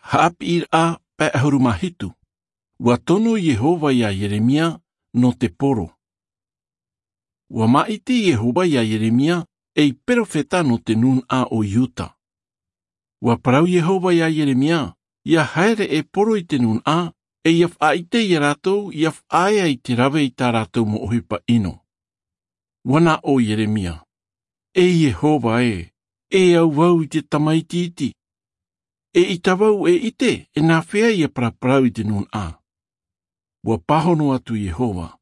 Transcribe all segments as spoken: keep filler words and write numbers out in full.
Haʻapiʻiraʻa pae ʻahuru mā hitu. Ua tono Iehova iā Ieremia nō te poro. Ua māʻiti Iehova iā Ieremia ei perofeta nō te nūnaʻa o Iuta. Ua parau Iehova iā Ieremia, ʻia haere e poro i te nūnaʻa, ʻe ʻia faʻaʻite iā rātou ʻia faʻaea i te rave i tā rātou mau ʻohipa ʻino. Ua nā ʻō Ieremia, E Iehova ē, e au vau i te tamaiti iti. ʻEita vau e ʻite e nāfea ʻia paraparau i te nūnaʻa. Ua pāhono atu Iehova,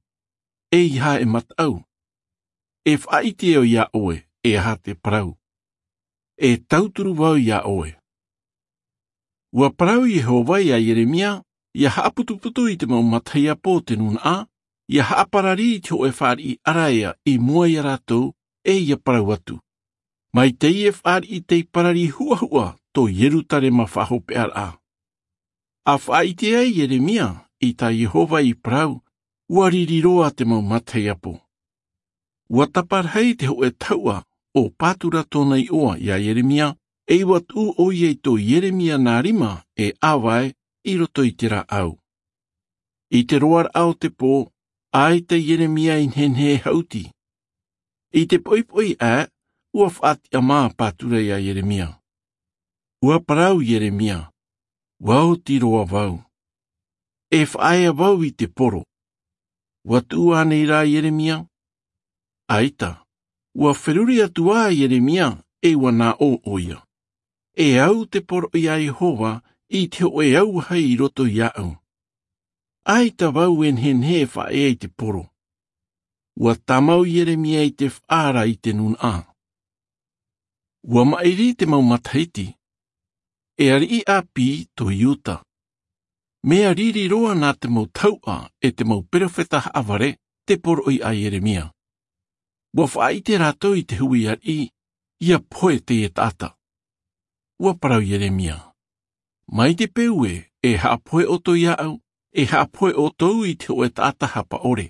E aha e mataʻu? E faʻaʻite au iā ʻoe e aha te parau. E tauturu vau iā ʻoe. Ua parau Iehova iā Ieremia, ʻia haʻaputuputu i te mau matahiapo o te nūnaʻa, ʻia haʻaparari i te hōʻē fāriʻi ʻaraea i mua iā rātou, ʻe ʻia parau atu, Mai teie fāriʻi tei parari huʻahuʻa tō Ierutarema faʻahopeʻaraʻa. ʻA faʻaʻite ai Ieremia i tā Iehova i parau, ua riri roa te mau matahiapo. Ua taparahi te hōʻē tahuʻa ʻo Patura tōna iʻoa iā Ieremia, ʻe ua tuʻu ʻoia i tō Ieremia nā rima e ʻāvae i roto i te rāʻau. I te roaraʻa o te pō, ʻaita Ieremia i nehenehe e haʻuti. I te poʻipoʻi aʻe, ua faʻatiʻamā Patura iā Ieremia. Ua parau Ieremia, Ua oti roa vau. E faʻaea vau i te poro. Ua tuʻu ānei rā Ieremia? ʻAita, ua feruri atu ā Ieremia, ʻe ua nā ʻō ʻoia, E au te poroʻi a Iehova i te hōʻē auahi i roto iāʻu. ʻAita vau e nehenehe e faʻaea i te poro. Ua tāmau Ieremia i te faʻaara i te nūnaʻa. Ua maʻiri te mau matahiti. E ariʻi ʻāpī tō Iuta. Mea riri roa nā te mau tahuʻa ʻe te mau perofeta haʻavare te poroʻi a Ieremia. Ua faʻaʻite rātou i te hui ariʻi, ʻIa pohe teie taʻata. Ua parau Ieremia, Mai te peu ē e haʻapohe ʻoutou iāʻu, e haʻapohe ʻoutou i te hōʻē taʻata hapaʻore.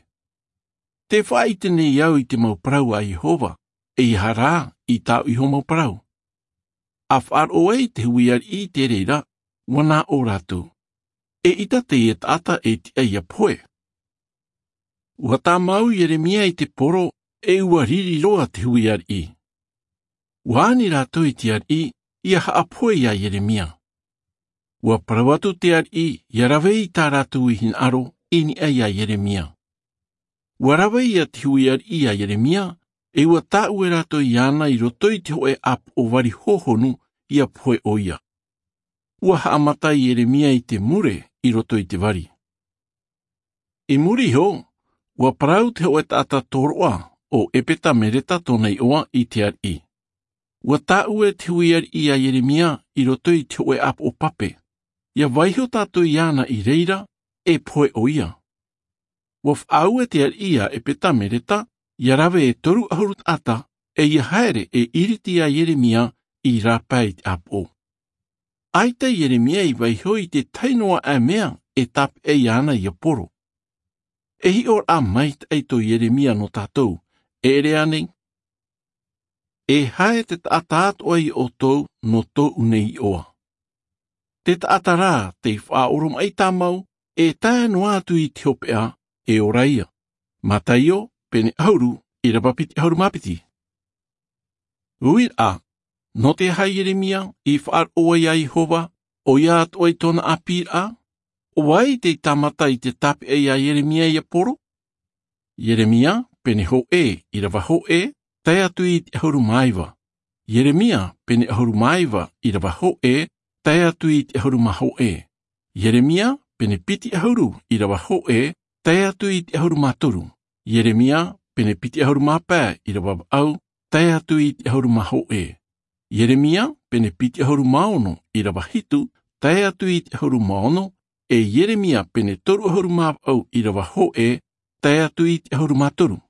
Tē faʻaʻite nei au i te mau parau a Iehova, ʻeiaha rā i tāʻu iho mau parau. ʻA faʻaroʻo ai te hui ariʻi i te reira, ua nā ʻō rātou, E ʻita teie taʻata e tiʻa ʻia pohe. Ua tāmau Ieremia i te poro, ʻe ua riri roa te hui ariʻi. Ua ani rātou i te ariʻi, ʻia haʻapohe iā Ieremia. Ua parau atu te ariʻi, ʻia rave i tā rātou i hinaʻaro, i niʻa iā Ieremia. Ua rave ia te hui ariʻi iā Ieremia, ʻe ua tāʻue rātou iāna i roto i te hōʻē ʻāpoʻo vari hōhonu, ʻia pohe ʻoia. Ua haʻamata Ieremia i te mure i roto i te vari. I muri iho, ua parau te hōʻē taʻata tōroʻa ʻo Epeta-meleta tōna iʻoa i te ariʻi. Ua tāʻue te hui ariʻi iā Ieremia i roto i te hōʻē ʻāpoʻo pape. ʻIa vaiiho tātou iāna i reira, e pohe ʻoia. Ua faʻaue te ariʻi iā Epeta-meleta, ʻia rave e toru ʻahuru taʻata, ʻe ʻia haere e ʻiriti iā Ieremia i rāpae i te ʻāpoʻo. ʻAita Ieremia i vaiiho i te tahi noa aʻe mea e tāpeʻa iāna ʻia poro. E hiʻoraʻa maitaʻi tō Ieremia nō tātou, e ʻere ānei? E haere te taʻata atoʻa iā ʻoutou nō tōʻu nei iʻoa. Te taʻata rā tei faʻaoromaʻi tāmau, e tae noa atu i te hopeʻa, e ora ia. Mataio, pene ʻahuru, ʻīrava piti ʻahuru mā piti. Uiraʻa, nō te aha Ieremia i faʻaroʻo ai iā Iehova, ʻoia atoʻa i tōna ʻāpīraʻa? ʻO vai tei tāmata i te tāpeʻa iā Ieremia ʻia poro? Ieremia, pene hōʻē, ʻīrava hōʻē, tae atu i te ʻahuru mā iva. Ieremia, pene ʻahuru mā iva, ʻīrava hōʻē, tae atu i te ʻahuru mā hōʻē. Ieremia, pene piti ʻahuru, ʻīrava hōʻē, tae atu i te ʻahuru mā toru. Ieremia, pene piti ʻahuru mā pae, ʻīrava vaʻu, tae atu i te ʻahuru mā hōʻē. Ieremia, pene piti ʻahuru mā ono, ʻīrava hitu, tae atu i te ʻahuru mā ono, ʻe Ieremia, pene toru ʻahuru mā vaʻu, ʻīrava hōʻē, tae atu i te ʻahuru mā toru.